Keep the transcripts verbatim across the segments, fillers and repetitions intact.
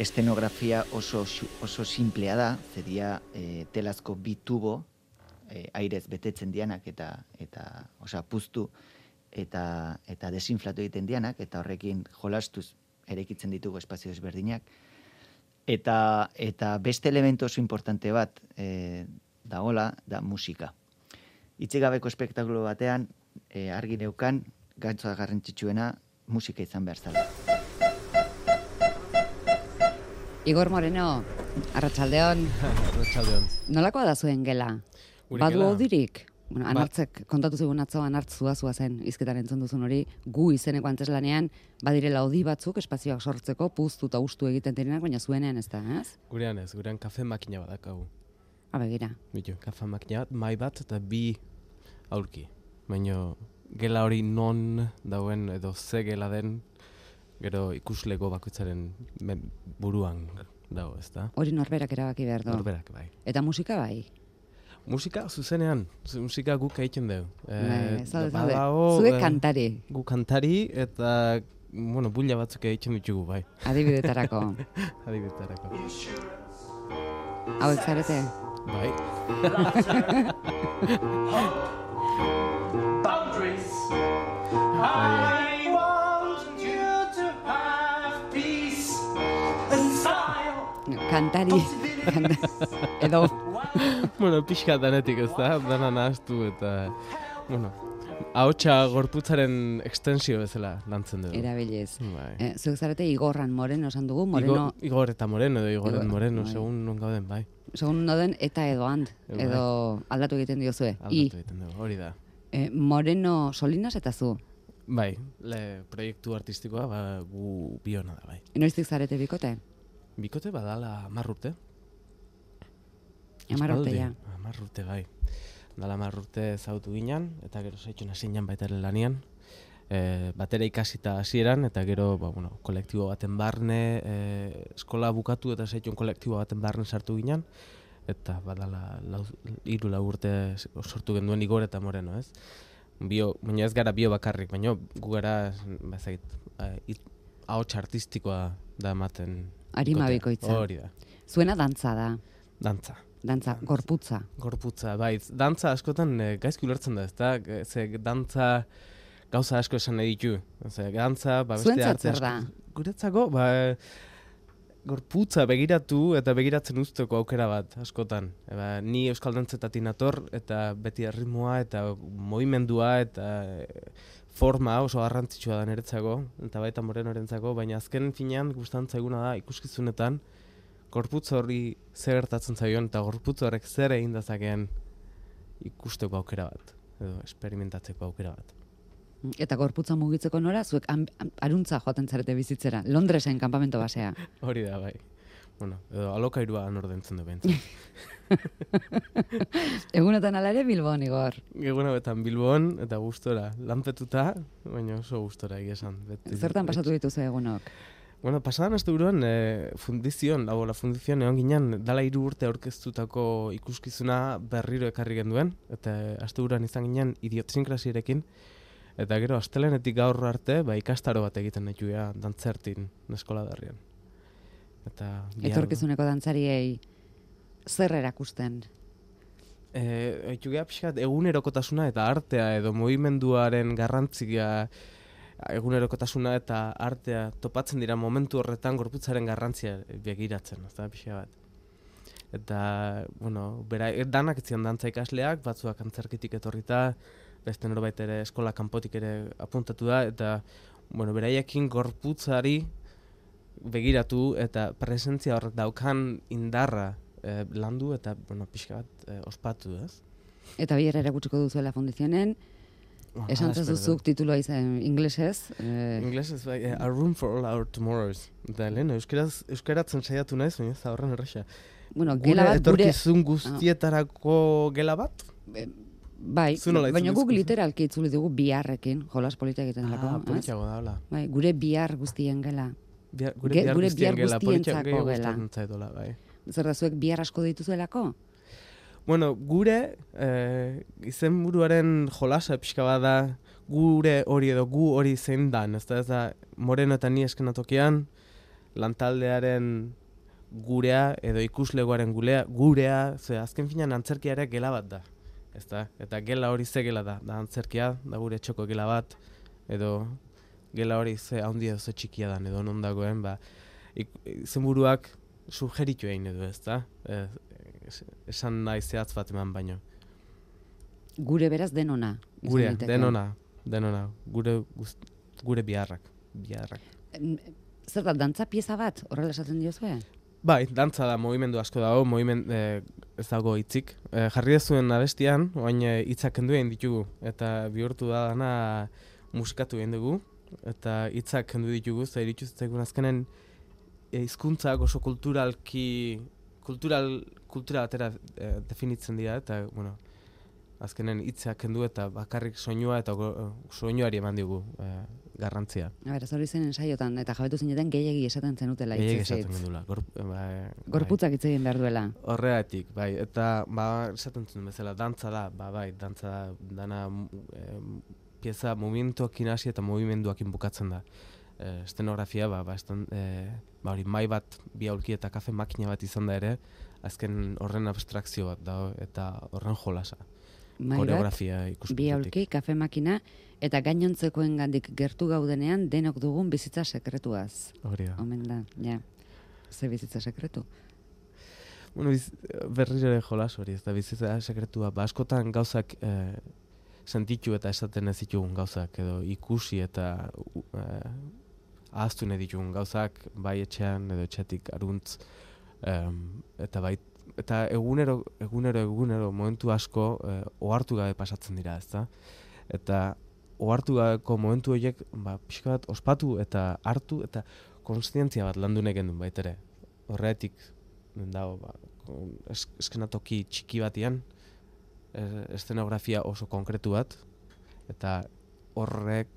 estenografia oso, oso simplea da, zedia e, telazko bi tubo, e, airez betetzen dianak eta, eta osea, puztu eta, eta desinflatu egiten dianak, eta horrekin jolastuz eraikitzen ditugu espazio ezberdinak. Eta, eta beste elementu oso importante bat e, dagoela, da musika. Itxigabeko espektakulo batean, e, argi neukan, gantzoa garrantzitsuena, musika izan behar zala. Igor Moreno, arratsaldeon. Arratsaldeon. Nolakoa da zuen gela? Badu odirik? Bueno, anartzek kontatu zigun atzo, anartz zua zen hizketan entzun duzun hori, gu izeneko anteslanean badirela odi batzuk espazioak sortzeko puztu eta ustu egiten direnak, baina zuenean ez da, ez? Gurean ez, gurean kafe makina badakagu. Abegira. Bitu, kafe makina bat, mai bat eta bi aurki. Baina gela hori non dauen edo ze gela den, gero ikuslego bakoitzaren buruan dago, ez da? Hori norberak erabaki behar du. Norberak, bai. Eta musika bai? Musika zuzenean, musika guk egiten dugu. E, zaude, zaude. Zuek kantari. Gu kantari eta, bueno, bulla batzuk egiten ditugu, bai. Adibidetarako. Adibidetarako. Hauek zarete? Bai. I want you to have peace and smile. Kantari. Edo. Bueno, pixka danetik ez da, dana nahaztu eta, bueno, ahotsa gorputzaren extensio bezala lantzen dugu. Erabiliz. Bai. Eh, zuek zarete Igorran Moreno esan dugu, Moreno... Igor, Igor eta Moreno edo Igorren Igor, Moreno, bai. segun non gauden, bai. Segun noden eta edo hand, Bai. edo aldatu egiten diozue. Aldatu egiten dugu, hori da. Eh, Moreno Solinas eta zu? Bai, le proiektu artistikoa, ba, gu biona da, bai. Noiztik zarete bikote? Bikote badala hamar urte. Hamar urte, ja. Hamar urte, bai. Dala hamar urte zautu ginen, eta gero zaitxun hasinan baita ere lanian. E, batera ikasita hasieran, eta gero, ba, bueno, kolektibo baten barne, e, eskola bukatu eta zaitxun kolektibo baten barne sartu ginen, eta badala lau, hiru lau urte sortu genduen Igor eta Moreno, ez? Bio, baina ez gara bio bakarrik, baina gu gara, bazait, ahots artistikoa da ematen. Arima bikoitza. Hori da. Zuena dantza da. Dantza. Dantza, gorputza. Gorputza, bai. Dantza askotan e, gaizki ulertzen da, ezta? Ze dantza gauza asko esan nahi ditu. Ze dantza, ba beste arte asko. da? Guretzako, ba gorputza begiratu eta begiratzen usteko aukera bat askotan. E, ba, ni euskal dantzetatik nator eta beti erritmoa eta mugimendua eta e, forma oso garrantzitsua da niretzako eta baita Morenorentzako, baina azken finean gustatzen zaiguna da ikuskizunetan gorputz horri zer gertatzen zaion eta gorputz horrek zer egin dezakeen ikusteko aukera bat, edo esperimentatzeko aukera bat. Eta gorputza mugitzeko nora, zuek am, am, aruntza joaten zarete bizitzera, Londresen kanpamento basea. Hori da, bai. Bueno, edo alokairua nordentzen du bentzen. Egunetan ala ere Bilbon, Igor. Egunetan Bilbon eta gustora, lanpetuta, baina oso gustora egia esan. Beti, Zertan pasatu dituzu egunok? Bueno, pasadan aste buruan e, fundizion, lau la fundizion egon ginen, dala hiru urte aurkeztutako ikuskizuna berriro ekarri genduen, eta aste buruan izan ginen idiotsinkrasiarekin, eta gero astelenetik gaur arte, ba, ikastaro bat egiten nahi juea dantzertin eskola darrian. Eta etorkizuneko dantzariei zer erakusten? Eh, Jugea pixkat egunerokotasuna eta artea edo mugimenduaren garrantzia, egunerokotasuna eta artea topatzen dira momentu horretan gorputzaren garrantzia begiratzen, ez da pixka bat. Eta, bueno, bera, danak etzian dantza ikasleak, batzuak antzerkitik etorrita, beste norbait ere eskola kanpotik ere apuntatu da, eta, bueno, beraiekin gorputzari begiratu eta presentzia horrek daukan indarra eh, landu eta, bueno, pixka bat eh, ospatu, ez? Eta bier erakutsiko duzuela fundizionen, Oh, esan zuzuk tituloa izan inglesez. Eh... Inglesez, bai, A Room for All Our Tomorrows. Eta lehen, euskaraz, euskaratzen saiatu naiz, baina ez da horren erresa. Bueno, gela bat gure... Etorkizun guztietarako gela bat? E, bai, baina guk literalki itzuli dugu biharrekin, jolas politia egiten delako. Ah, politiago da, hola. Bai, gure bihar guztien gela. Bihar, gure bihar gure guztien bihar gela, guztientzako gela. Zaitola, bai. Zer da zuek bihar asko dituzuelako? Bueno, gure eh, izenburuaren jolasa pixka bada gure hori edo gu hori zein dan, ez da, ez da Moreno eta ni eskenatokian, lantaldearen gurea edo ikuslegoaren gulea, gurea, ze azken finan antzerkia ere gela bat da. Ezta? Eta gela hori ze gela da, da antzerkia, da gure txoko gela bat, edo gela hori ze handia ze txikia dan, edo non dagoen, ba, izenburuak sugeritu egin edo, ezta? E, esan nahi zehatz bat eman baino. Gure beraz denona. Gure, denona, denona, gure, gust, gure biharrak, biharrak. Zer da, dantza pieza bat, horrela esaten diozue? Bai, dantza da, movimendu asko dago, moviment, eh, ez dago hitzik. Eh, jarri dezuen abestian, oain hitzak kendu egin ditugu, eta bihurtu da dana musikatu egin dugu, eta hitzak kendu ditugu, eta iritsu zitzaigun azkenen hizkuntzak oso kulturalki, kultural, kultura batera eh, definitzen dira, eta, bueno, azkenen hitzak kendu eta bakarrik soinua eta go, soinuari eman digu eh, garrantzia. A ber, ez hori zen ensaiotan, eta jabetu zineten gehiegi esaten zenutela hitz. Gehiegi esaten gendula. Gor, ba, Gorputzak hitz egin behar duela. Horregatik, bai, eta ba, esaten zuen bezala, dantza da, ba, bai, dantza da, dana e, pieza movimentuakin hasi eta movimenduakin bukatzen da. E, estenografia, ba, ba, estan, e, ba, hori mai bat, bi aulki eta kafe makina bat izan da ere, azken horren abstrakzio bat da, eta horren jolasa. Koreografia ikuspuntutik. Bi aulki, kafe makina, eta gainontzekoen gandik gertu gaudenean denok dugun bizitza sekretuaz. Hori da. Omen da, ja. Ze bizitza sekretu? Bueno, biz, berriro ere jolas hori, ez da bizitza sekretua. Ba, askotan gauzak eh, sentitu eta esaten ez ditugun gauzak, edo ikusi eta eh, ahaztu nahi ditugun gauzak, bai etxean edo etxetik aruntz, eh, eta bai eta egunero, egunero, egunero momentu asko eh, ohartu gabe pasatzen dira, ezta? Eta ohartu gabeko momentu horiek ba, pixka bat ospatu eta hartu eta konstientzia bat landu nahi gendun baitere. Horretik dago, ba, es, eskenatoki txiki batian, estenografia oso konkretu bat, eta horrek,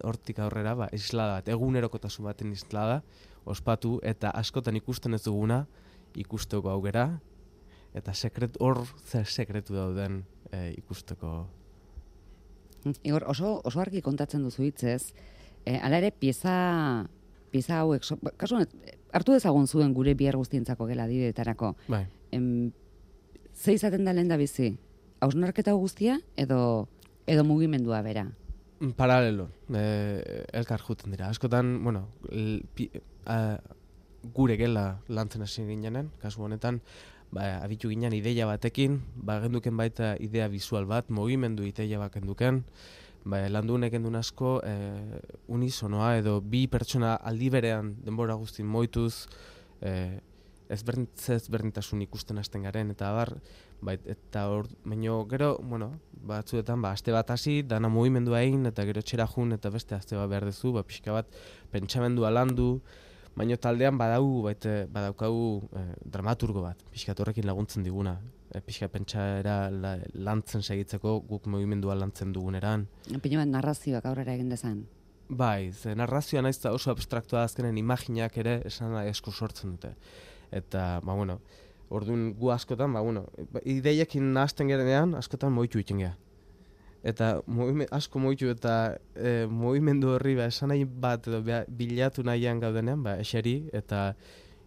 hortik aurrera, ba, islada bat, egunerokotasun baten islada, ospatu eta askotan ikusten ez duguna, ikusteko aukera, eta sekret, hor zer sekretu dauden e, ikusteko. Igor, oso, oso argi kontatzen duzu hitzez, e, ala ere pieza, pieza hauek, so, kasu hartu dezagun zuen gure bihar guztientzako gela adidetarako. Bai. Em, ze izaten da lehen da bizi? Hausnarketa guztia edo, edo mugimendua bera? Paralelo, e, elkar juten dira. Askotan, bueno, l, pi, a, gure gela lantzen hasi ginenen, kasu honetan, ba, abitu ginen ideia batekin, ba, genduken baita idea visual bat, mugimendu ideia bat genduken, ba, landu nekendun asko e, unisonoa edo bi pertsona aldi berean denbora guztin moituz, e, ezberdintasun ikusten hasten garen, eta bar, ba, eta hor, baino gero, bueno, batzuetan, ba, aste bat hasi, dana mugimendua egin, eta gero txera jun, eta beste aste bat behar dezu, ba, pixka bat pentsamendua landu, baina taldean badau, baite, badaukagu eh, dramaturgo bat, pixkat horrekin laguntzen diguna. E, pixkat pentsaera la, lantzen segitzeko, guk mugimendua lantzen duguneran. Pino bat narrazioak aurrera egin dezan. Bai, ze narrazioa naiz da oso abstraktua azkenen imaginak ere esan asko sortzen dute. Eta, ba, bueno, orduan gu askotan, ba, bueno, ideiekin nahazten gerenean, askotan moitu iten geha. Eta movime, asko moitu eta e, movimendu horri ba, esan nahi bat edo beha, bilatu nahian gaudenean, ba, eseri eta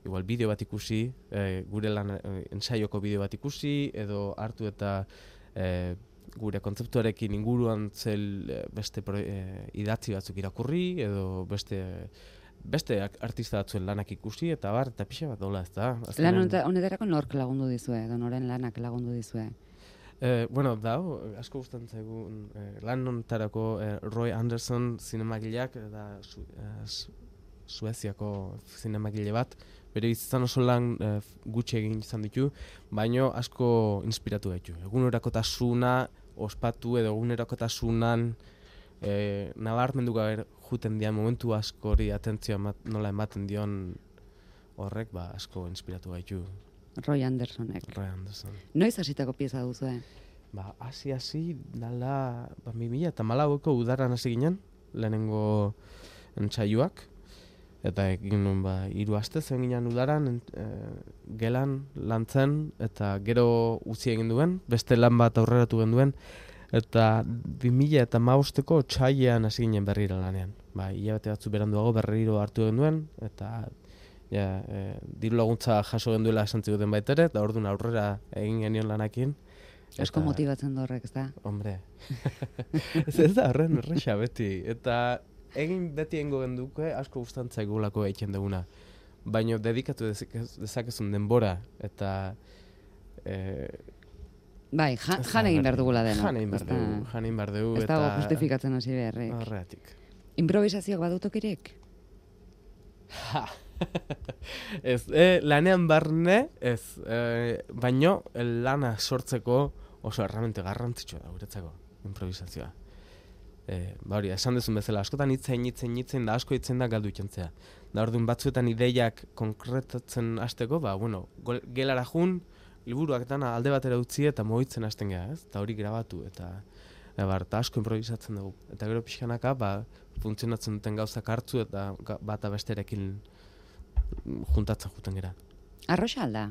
igual bideo bat ikusi, e, gure lan e, ensaioko bideo bat ikusi, edo hartu eta e, gure kontzeptuarekin inguruan zel e, beste pro, e, idatzi batzuk irakurri, edo beste beste artista batzuen lanak ikusi, eta bar, eta pixa bat dola, ez da. Lan honetarako nork lagundu dizue, edo noren lanak lagundu dizue? Eh, bueno, da, asko gustatzen zaigun eh, lan honetarako eh, Roy Anderson zinemagileak, da su, eh, su, Sueziako zinemagile bat, bere izan oso lan eh, gutxi egin izan ditu, baino asko inspiratu gaitu. Egunerokotasuna ospatu edo egunerokotasunan eh, nabarmendu gabe juten dian momentu askori atentzioa emat, nola ematen dion horrek, ba, asko inspiratu gaitu. Roy Andersonek. Roy Anderson. Noiz hasitako pieza duzu, eh? Ba, hasi hasi dala, ba, bi mila eta hamalauko udaran hasi ginen, lehenengo entsaioak, eta egin nuen, ba, hiru aste zen ginen udaran, e, gelan lantzen, eta gero utzi egin duen, beste lan bat aurreratu genduen, eta bi mila eta hamabosteko otsailean hasi ginen berriro lanean. Ba, hilabete batzu beranduago berriro hartu genduen, eta ja, e, diru laguntza jaso genduela esan ziguten baitere, eta orduan aurrera egin genion lanakin. Asko motibatzen da horrek, ez da? Hombre, ez, ez da horren erresa beti, eta egin beti egingo genduke asko gustantzaigulako egiten duguna. Baina dedikatu dezakezun denbora, eta... E, bai, jan, jan egin behar dugula dena. Jan egin behar dugu, jan egin behar dugu. Ez dago justifikatzen hasi beharrek. Horreatik. Improvisazioak badutokirek? Ha! Ez, e, lanean barne, ez, e, baino lana sortzeko oso erramente garrantzitsua da guretzako, improvisazioa. E, ba hori, esan dezun bezala, askotan hitzen, hitzen, hitzen, da asko hitzen da galdu ikentzea. Da orduan batzuetan ideiak konkretatzen hasteko, ba, bueno, gelara jun, liburuak dana alde batera utzi eta mogitzen hasten geha, ez? Eta hori grabatu, eta Ebar, eta asko improvisatzen dugu. Eta gero pixkanaka, ba, funtzionatzen duten gauzak hartzu eta bata besterekin juntatzen juten gera. Arroxa alda?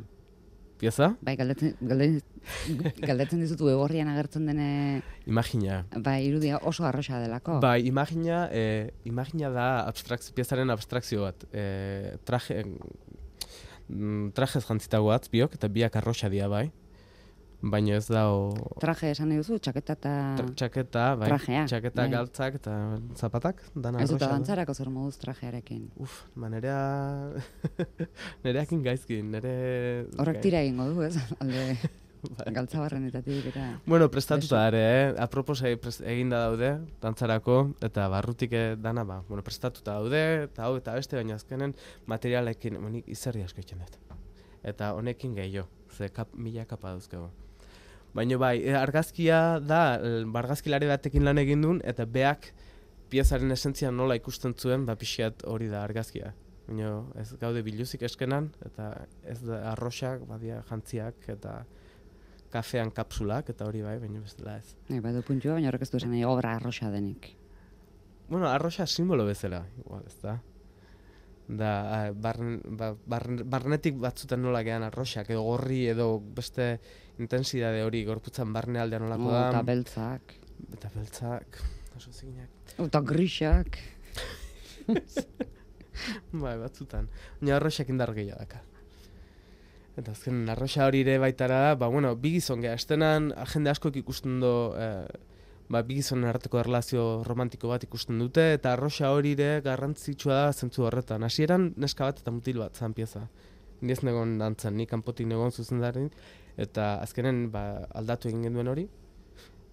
Pieza? Bai, galdetzen, galdetzen, galdetzen dizutu egorrian agertzen dene... Imagina. Bai, irudia oso arroxa delako. Bai, imagina, eh, imagina da abstrakzio, piezaren abstrakzio bat. Eh, traje, mm, trajez jantzitago atz biok, eta biak arroxa dia bai. Baina ez da o... Traje esan nahi duzu, txaketa eta... Tra txaketa, bai. Trajea. Txaketa, bai. Galtzak eta zapatak. Dana ez dut dantzarako zer moduz trajearekin. Uf, ba nerea... nereakin gaizkin, nere... Horrek tira egingo du, ez? Alde... Galtzabarrenetatik eta... Bueno, prestatuta ere, eh? Apropos eginda daude, dantzarako, eta barrutik dana, ba, bueno, prestatuta daude, eta hau eta beste, baina azkenen materialekin, monik izerri asko itzen dut. Eta honekin gehiago, ze kap, mila kapa dauzkego. Baina bai, argazkia da, argazkilari batekin lan egin duen, eta beak piezaren esentzia nola ikusten zuen, ba pixiat hori da argazkia. Baina ez gaude biluzik eskenan, eta ez da arroxak, badia jantziak, eta kafean kapsulak, eta hori bai, baina bestela ez. E, badu puntua, baina horrek ez du esan nahi obra arroxa denik. Bueno, arroxa simbolo bezala, igual, ez da. Da, barn, ba, barn, barnetik batzutan nola gehan arroxak, edo gorri, edo beste intensidade hori gorputzan barne aldean nolako da. Eta beltzak. Eta beltzak, oso ziginak. Eta grisak. Bai, batzutan. Baina arroxak indar gehiago daka. Eta azken arroxa hori ere baitara da, ba, bueno, bi gizon geha, estenan jende askoek ikusten do, eh, ba, bi gizonen arteko erlazio romantiko bat ikusten dute, eta arroxa hori ere garrantzitsua da zentzu horretan. Hasieran neska bat eta mutil bat zan pieza. Ni ez negon dantzan, ni kanpotik negon zuzendari, eta azkenen ba, aldatu egin genduen hori.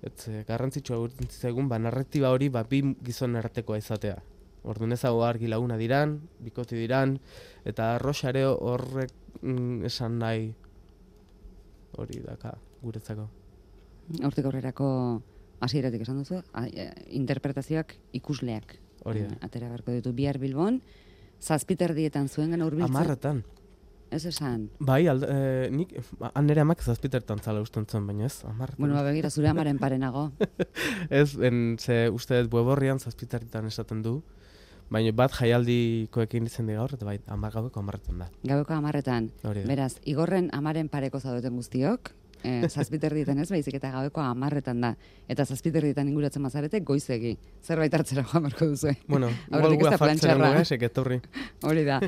Et garrantzitsua gurtzen egun, ba, narratiba hori ba, bi gizonen artekoa izatea. Orduan ez hau argi laguna diran, bikoti diran, eta arroxa ere horrek mm, esan nahi hori daka guretzako. Hortik aurrerako hasieratik esan duzu, a, e, interpretazioak ikusleak. Hori da. Atera beharko ditu bihar Bilbon, zazpiterdietan zuen gana hurbiltzen. Amarretan. Ez esan. Bai, alde, e, nik, han nire amak zazpitertan zala usten zuen, baina ez, amarretan. Bueno, begira, zure amaren parenago. Ez, en, ze uste dut bueborrian zazpitertan esaten du, baina bat jaialdikoekin izen di gaur, eta bai, amar gaueko amarretan da. Gaueko amarretan. Beraz, igorren amaren pareko zaudeten guztiok, Eh, zazpiterdietan ez, baizik eta gaueko amarretan da. Eta zazpiterdietan inguratzen mazarete goizegi. Zerbait hartzera joan berko duzu. Bueno, igual gua fartzen dugu esek etorri. Hori da.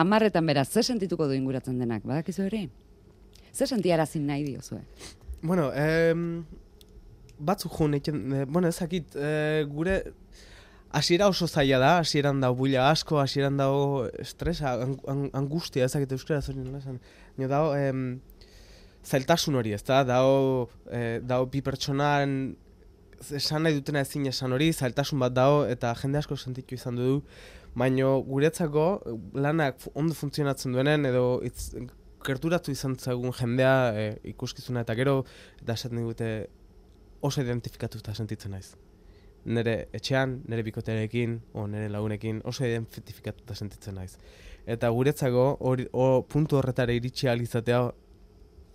Amarretan beraz, ze sentituko du inguratzen denak? Badakizu ere? Ze sentiarazin nahi diozue? Bueno, eh, batzuk joan eiken, eh, bueno, ezakit, eh, gure hasiera oso zaila da, hasieran dago buila asko, hasieran dago estresa, ang, angustia, ezakit euskara zorin esan. Nio dago, eh, zailtasun hori, ez da, dao, eh, dao bi pertsonan esan nahi dutena ezin esan hori, zailtasun bat dao, eta jende asko sentitu izan du, baino guretzako lanak ondo funtzionatzen duenen, edo itz, gerturatu izan zagun jendea eh, ikuskizuna, eta gero, eta esaten digute oso identifikatuta sentitzen naiz. Nere etxean, nere bikotearekin, o nere lagunekin, oso identifikatuta sentitzen naiz. Eta guretzako, hori, o, puntu horretara iritsi ahal izatea,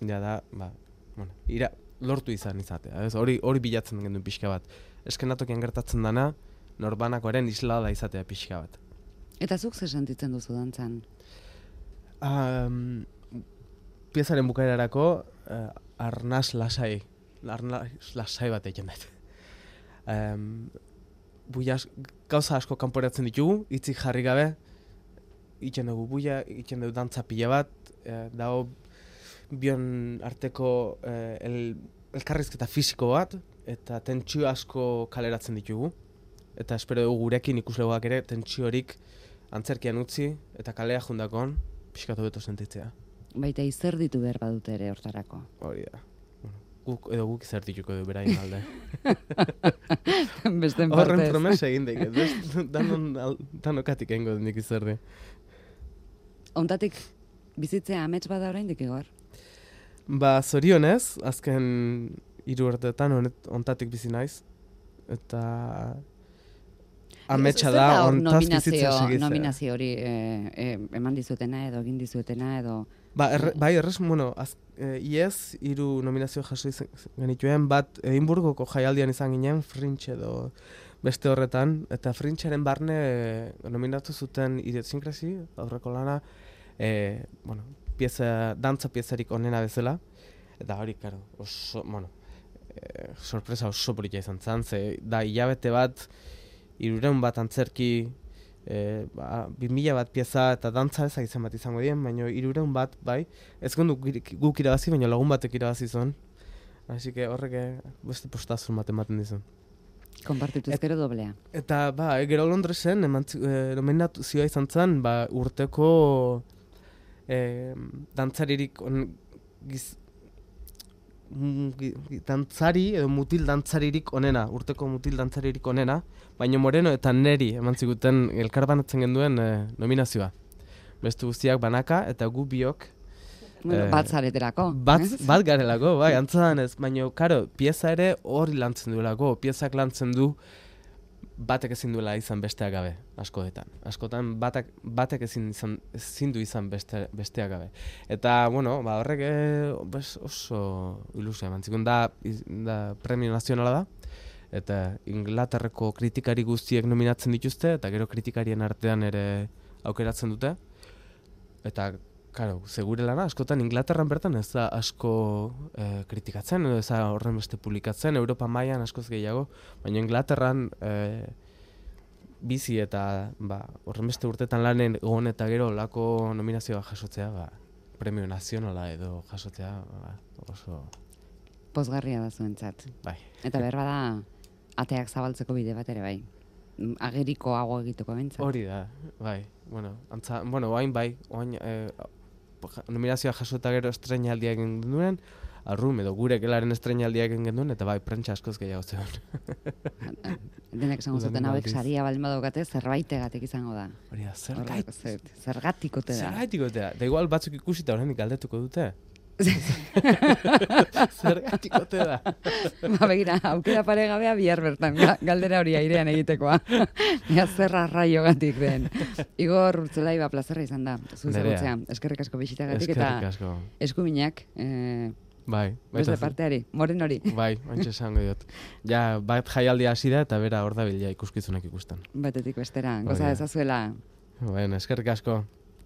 ja da, ba, bueno, ira, lortu izan izatea, ez? Hori hori bilatzen genduen pixka bat. Eskenatokian gertatzen dana, norbanakoaren islada izatea pixka bat. Eta zuk zer sentitzen duzu dantzan? Um, piezaren bukaerarako uh, arnaz lasai, arnaz lasai bat egin dut. Um, Buiaz, gauza asko kanporatzen ditugu, hitzik jarri gabe, egiten dugu buia, egiten dugu dantza pila bat, e, dago bion arteko e, el, elkarrizketa fisiko bat, eta tentsio asko kaleratzen ditugu. Eta espero dugu gurekin ikuslegoak ere tentsiorik antzerkian utzi, eta kalea jundakon, pixkatu beto sentitzea. Baita izer ditu behar badute ere hortarako. Hori da. Guk, edo guk izertituko du beraien alde. Besten partez. Horren promesa egin daik, danon, danokatik egingo nik izerdi. Ontatik bizitzea amets bada oraindik Igor? Ba, zorionez, azken hiru urteetan honet ontatik bizi naiz. Eta ametsa da ontaz bizitzen segitzea. Nominazio hori e, e, eman dizuetena edo egin dizuetena edo... Ba, erre, bai, errez, bueno, az, e, iez, hiru nominazio jaso izan genituen, bat Edinburgoko jaialdian izan ginen, Fringe edo beste horretan, eta Fringearen barne e, nominatu zuten Idiosincrasy, aurreko lana, e, bueno, pieza, dantza piezarik onena bezala, eta hori, karo, oso, bueno, e, sorpresa oso polita izan zen, ze da hilabete bat, hirurehun bat antzerki, e, ba, bi mila bat pieza eta dantza ezak izan bat izango dien, baina hirurehun bat, bai, ez gonduk guk irabazi, baina lagun batek irabazi zuen. Así que horrek beste postazun bat ematen dizun. Konpartitu ezkero doblea. Eta, ba, e, gero Londresen, emantzi, e, nominazioa izan zen, ba, urteko e, dantzaririk on, giz, dantzari edo mutil dantzaririk onena, urteko mutil dantzaririk onena, baina Moreno eta Neri eman ziguten elkarbanatzen genduen e, nominazioa. Beste guztiak banaka eta gu biok bueno, e, bat zareterako. Bat, bat garelako, bai, antzadan ez, baina, karo, pieza ere hori lantzen duelako, piezak lantzen du batek ezin duela izan besteak gabe, askoetan. Askotan batak, batek ezin, izan, ezin du izan beste, besteak gabe. Eta, bueno, ba, horrek e, bes, oso ilusia emantzikun da, da premio nazionala da, eta Inglaterrako kritikari guztiek nominatzen dituzte, eta gero kritikarien artean ere aukeratzen dute. Eta, karo, segure lana, askotan Inglaterran bertan ez da asko e, kritikatzen, edo ez da horren beste publikatzen, Europa mailan askoz gehiago, baina Inglaterran e, bizi eta ba, horren beste urtetan lanen egon eta gero lako nominazioa jasotzea, ba, premio nazionala edo jasotzea ba, oso... Pozgarria da zuentzat. Bai. Eta berba da, ateak zabaltzeko bide bat ere bai. Ageriko hago egiteko bentzat. Hori da, bai. Bueno, antza, bueno, oain bai, oain... E, nominazioa jaso eta gero estreinaldia egin duen, arrum edo gure gelaren estreinaldia egin genduen, eta bai, prentsa askoz gehiago zegoen. Denek esango zuten hauek saria baldin badaukate, zerbaitegatik izango da. Hori da, zergait. Zergatikote da. Zergatikote da. Da igual batzuk ikusita horrenik galdetuko dute. Zergatikote da. Ba, begira, aukera paregabea bihar bertan, galdera hori airean egitekoa. Ea zerra raiogatik den. Igor Urtzelai, ba, plazerra izan da. Zuzagutzean, eskerrik asko bisitagatik eta asko. Eskuminak. Eh, bai. Beste parteari, moren hori. Bai, bantxe esango diot. Ja, bat jaialdia hasi da eta bera hor da bila ikuskizunak ikusten. Batetik bestera, goza dezazuela. Bueno, eskerrik asko.